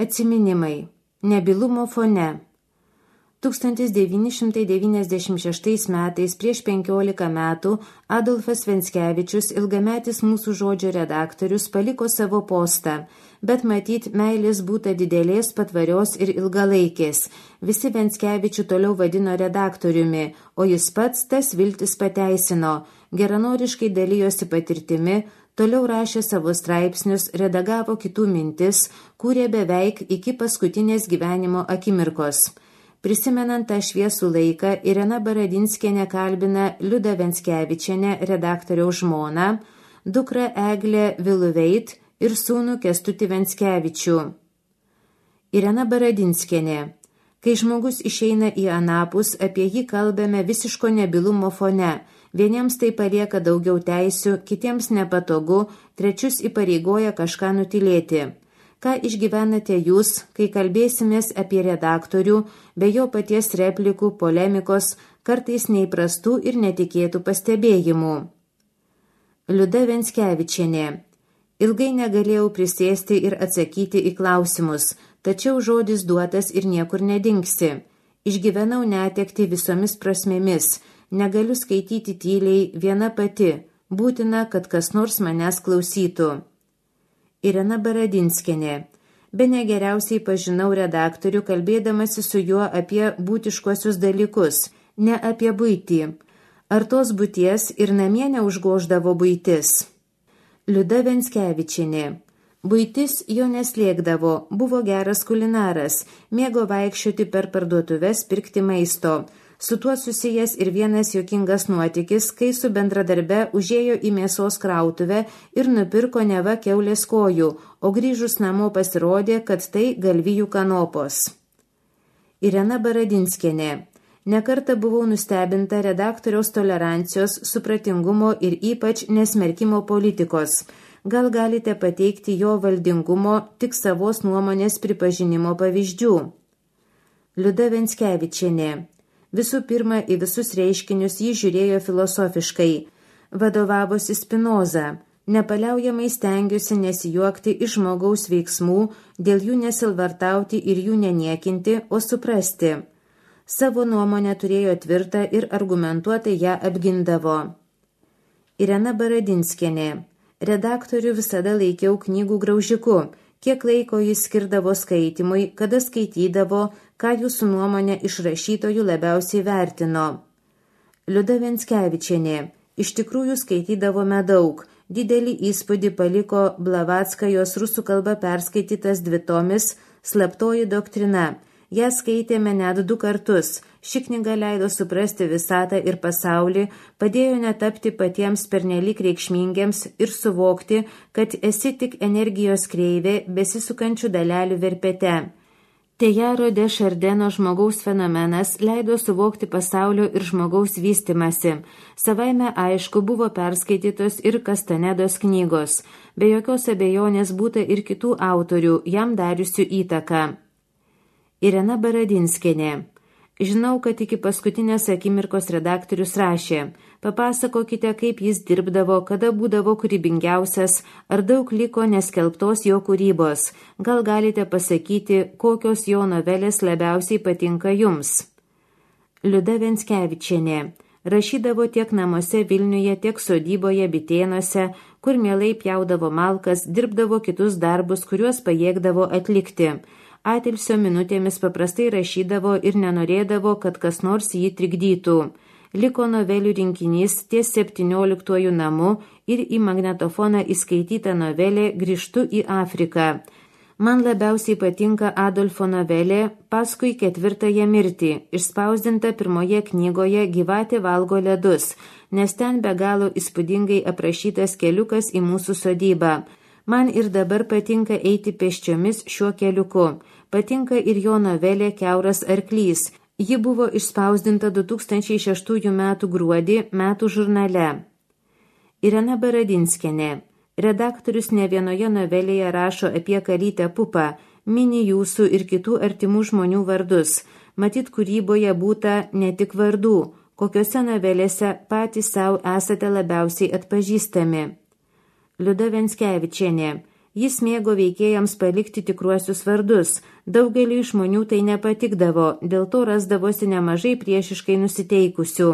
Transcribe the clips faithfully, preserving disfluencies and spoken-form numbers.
Atsiminimai. Nebylumo fone. tūkstantis devyni šimtai devyniasdešimt šeštais metais prieš penkiolika metų Adolfas Venckevičius, ilgametis mūsų žodžio redaktorius, paliko savo postą, bet matyt, meilės būta didelės, patvarios ir ilgalaikės. Visi Venckevičių toliau vadino redaktoriumi, o jis pats tas viltis pateisino, geranoriškai dalijosi patirtimi, toliau rašė savo straipsnius, redagavo kitų mintis, kūrė beveik iki paskutinės gyvenimo akimirkos. Prisimenant tą šviesų laiką, Irena Baradinskienė kalbina Liudą Venckevičienę, redaktoriaus žmoną, dukrą Eglę Viluveit ir sūnų Kęstutį Venckevičių. Irena Baradinskienė. Kai žmogus išeina į anapus, apie jį kalbame visiško nebylumo fone. Vieniems tai palieka daugiau teisių, kitiems nepatogu, trečius įpareigoja kažką nutilėti. Ką išgyvenate jūs, kai kalbėsimės apie redaktorių, be jo paties replikų, polemikos, kartais neįprastų ir netikėtų pastebėjimų? Liuda Venckevičienė. Ilgai negalėjau prisėsti ir atsakyti į klausimus, tačiau žodis duotas ir niekur nedingsi. Išgyvenau netekti visomis prasmėmis, negaliu skaityti tyliai viena pati, būtina, kad kas nors manęs klausytų. Irena Baradinskienė. Bene geriausiai pažinau redaktorių, kalbėdamasi su juo apie būtiškuosius dalykus, ne apie buitį. Ar tos būties ir namie neužgoždavo buitis? Liuda Venckevičienė. Buitis jo neslėgdavo, buvo geras kulinaras, mėgo vaikščioti per parduotuves pirkti maisto. Su tuo susijęs ir vienas juokingas nuotykis, kai su bendradarbe užėjo į mėsos krautuvę ir nupirko neva kiaulės kojų, o grįžus namo pasirodė, kad tai galvijų kanopos. Irena Baradinskienė. Nekartą buvau nustebinta redaktoriaus tolerancijos, supratingumo ir ypač nesmerkimo politikos. Gal galite pateikti jo valdingumo, tik savos nuomonės pripažinimo pavyzdžių? Liuda Venckevičienė. Visų pirma, į visus reiškinius jį žiūrėjo filosofiškai. Vadovavosi Spinoza. Nepaliaujamai stengiuosi nesijuokti iš žmogaus veiksmų, dėl jų nesilvartauti ir jų neniekinti, o suprasti. Savo nuomonę turėjo tvirtą ir argumentuotai ją apgindavo. Irena Baradinskienė. Redaktorių visada laikiau knygų graužiku. Kiek laiko jis skirdavo skaitimui, kada skaitydavo, ką jūsų nuomonė iš rašytojų labiausiai vertino. Liuda Venckevičienė. Iš tikrųjų skaitydavome daug. Didelį įspūdį paliko Blavatskajos rusų kalba perskaitytas dvitomis Slaptoji doktrina. Ją skaitėme net du kartus. Ši knyga leido suprasti visatą ir pasaulį, padėjo netapti patiems pernelyg reikšmingiams ir suvokti, kad esi tik energijos kreivė besisukančių dalelių verpete. Tejaro de Šardeno žmogaus fenomenas leido suvokti pasaulio ir žmogaus vystimasi. Savaime aišku buvo perskaitytos ir Kastanedos knygos. Be jokios abejonės būta ir kitų autorių, jam dariusių įtaką. Irena Baradinskienė. Žinau, kad iki paskutinės akimirkos redaktorius rašė. Papasakokite, kaip jis dirbdavo, kada būdavo kūrybingiausias, ar daug liko neskelbtos jo kūrybos. Gal galite pasakyti, kokios jo novelės labiausiai patinka jums? Liuda Venckevičienė. Rašydavo tiek namuose Vilniuje, tiek sodyboje Bitėnuose, kur mielai pjaudavo malkas, dirbdavo kitus darbus, kuriuos pajėgdavo atlikti. Atilsio minutėmis paprastai rašydavo ir nenorėdavo, kad kas nors jį trikdytų. Liko novelių rinkinys ties septynioliktuoju namu ir į magnetofoną įskaityta novelė Grįžtu į Afriką. Man labiausiai patinka Adolfo novelė Paskui ketvirtąją mirtį, išspausdinta pirmoje knygoje Gyvatė valgo ledus, nes ten be galo įspūdingai aprašytas keliukas į mūsų sodybą. Man ir dabar patinka eiti pėsčiomis šiuo keliuku. Patinka ir jo novelė Kiauras arklys. Ji buvo išspausdinta du tūkstančiai šeštųjų metų gruodį metų žurnale. Irena Baradinskienė. Redaktorius ne vienoje novelėje rašo apie kalytę Pupą, mini jūsų ir kitų artimų žmonių vardus. Matyt, kūryboje būta ne tik vardų, kokiose novelėse patys savo esate labiausiai atpažįstami. Liuda Venckevičienė. Jis mėgo veikėjams palikti tikruosius vardus. Daugeliui žmonių tai nepatikdavo, dėl to rasdavosi nemažai priešiškai nusiteikusių.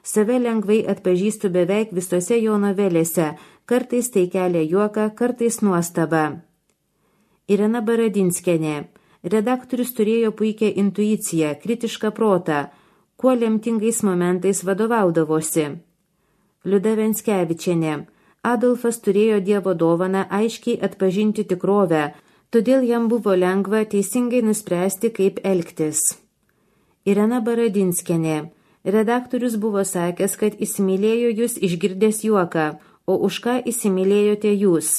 Save lengvai atpažįstu beveik visose jo novelėse, kartais tai kelia juoką, kartais nuostabą. Irena Baradinskienė. Redaktorius turėjo puikią intuiciją, kritišką protą, kuo lemtingais momentais vadovaudavosi. Liuda Venckevičienė. Adolfas turėjo Dievo dovaną aiškiai atpažinti tikrovę, todėl jam buvo lengva teisingai nuspręsti, kaip elgtis. Irena Baradinskienė. Redaktorius buvo sakęs, kad įsimylėjo jūs išgirdęs juoką, o už ką įsimylėjote jūs.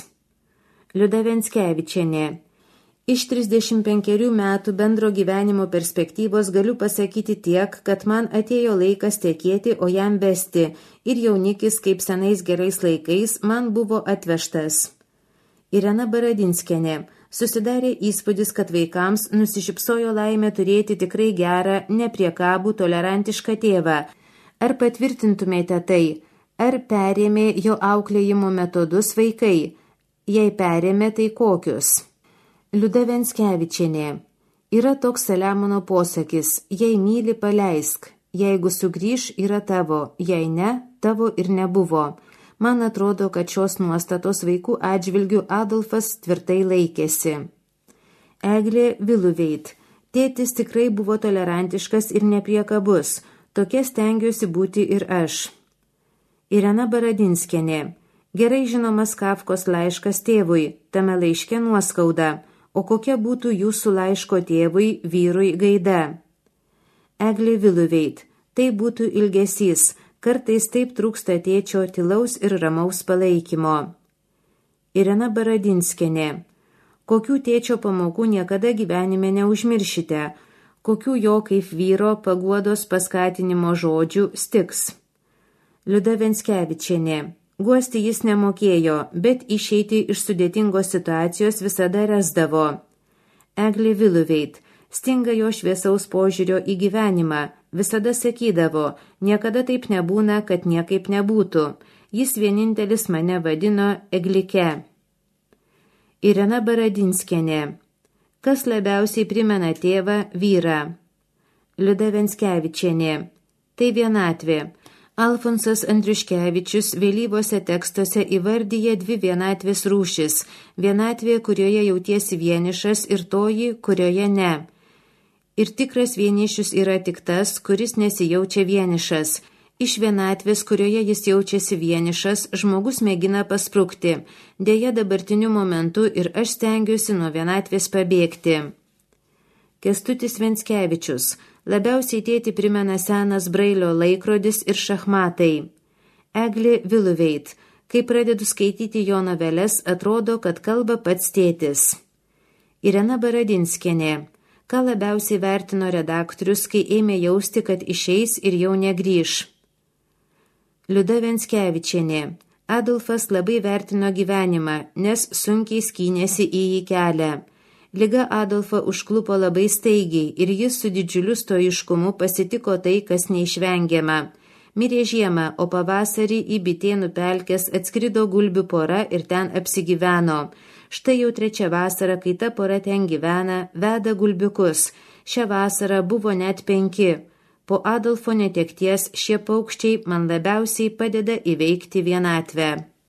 Liuda Venckevičienė. Iš trisdešimt penkerių metų bendro gyvenimo perspektyvos galiu pasakyti tiek, kad man atėjo laikas tekėti, o jam vesti, ir jaunikis, kaip senais gerais laikais, man buvo atvežtas. Irena Baradinskienė. Susidarė įspūdis, kad vaikams nusišypsojo laimė turėti tikrai gerą, nepriekabų, tolerantišką tėvą. Ar patvirtintumėte tai? Ar perėmė jo auklėjimo metodus vaikai? Jei perėmė, tai kokius? Liuda Venckevičienė. Yra toks Saliamono posakis, jei myli, paleisk, jeigu sugrįš, yra tavo, jei ne, tavo ir nebuvo. Man atrodo, kad šios nuostatos vaikų atžvilgių Adolfas tvirtai laikėsi. Eglė Viluveit. Tėtis tikrai buvo tolerantiškas ir nepriekabus, tokia stengiuosi būti ir aš. Irena Baradinskienė. Gerai žinomas Kafkos laiškas tėvui, tame laiške nuoskauda. O kokia būtų jūsų laiško tėvui, vyrui gaida? Eglė Viluveit. Tai būtų ilgesys, kartais taip trūksta tėčio tylaus ir ramaus palaikymo. Irena Baradinskienė. Kokių tėčio pamokų niekada gyvenime neužmiršite, kokių jo kaip vyro paguodos paskatinimo žodžių stiks. Liuda Venckevičienė. Guosti jis nemokėjo, bet išeiti iš sudėtingos situacijos visada rasdavo. Eglė Viluveit. Stinga jo šviesaus požiūrio į gyvenimą. Visada sakydavo, niekada taip nebūna, kad niekaip nebūtų. Jis vienintelis mane vadino Eglike. Irena Baradinskienė. Kas labiausiai primena tėvą, vyrą? Liuda Venckevičienė. Tai vienatvė. Alfonsas Andriuškevičius vėlyvose tekstuose įvardyja dvi vienatvės rūšis – vienatvė, kurioje jautiesi vienišas ir toji, kurioje ne. Ir tikras vienišius yra tik tas, kuris nesijaučia vienišas. Iš vienatvės, kurioje jis jaučiasi vienišas, žmogus mėgina pasprukti. Deja, dabartiniu momentu ir aš stengiuosi nuo vienatvės pabėgti. Kęstutis Venckevičius. Labiausiai tėtį primena senas Brailio laikrodis ir šachmatai. Eglė Viluveit. Kai pradedu skaityti jo noveles, atrodo, kad kalba pats tėtis. Irena Baradinskienė. Ką labiausiai vertino redaktorius, kai ėmė jausti, kad išeis ir jau negrįš? Liuda Venckevičienė. Adolfas labai vertino gyvenimą, nes sunkiai skynėsi į jį kelią. Liga Adolfą užklupo labai staigiai ir jis su didžiuliu stoiškumu pasitiko tai, kas neišvengiama. Mirė žiemą, o pavasarį į Bitėnų pelkes atskrido gulbių pora ir ten apsigyveno. Štai jau trečia vasara, kai ta pora ten gyvena, veda gulbiukus. Šią vasarą buvo net penki. Po Adolfo netekties šie paukščiai man labiausiai padeda įveikti vienatvę.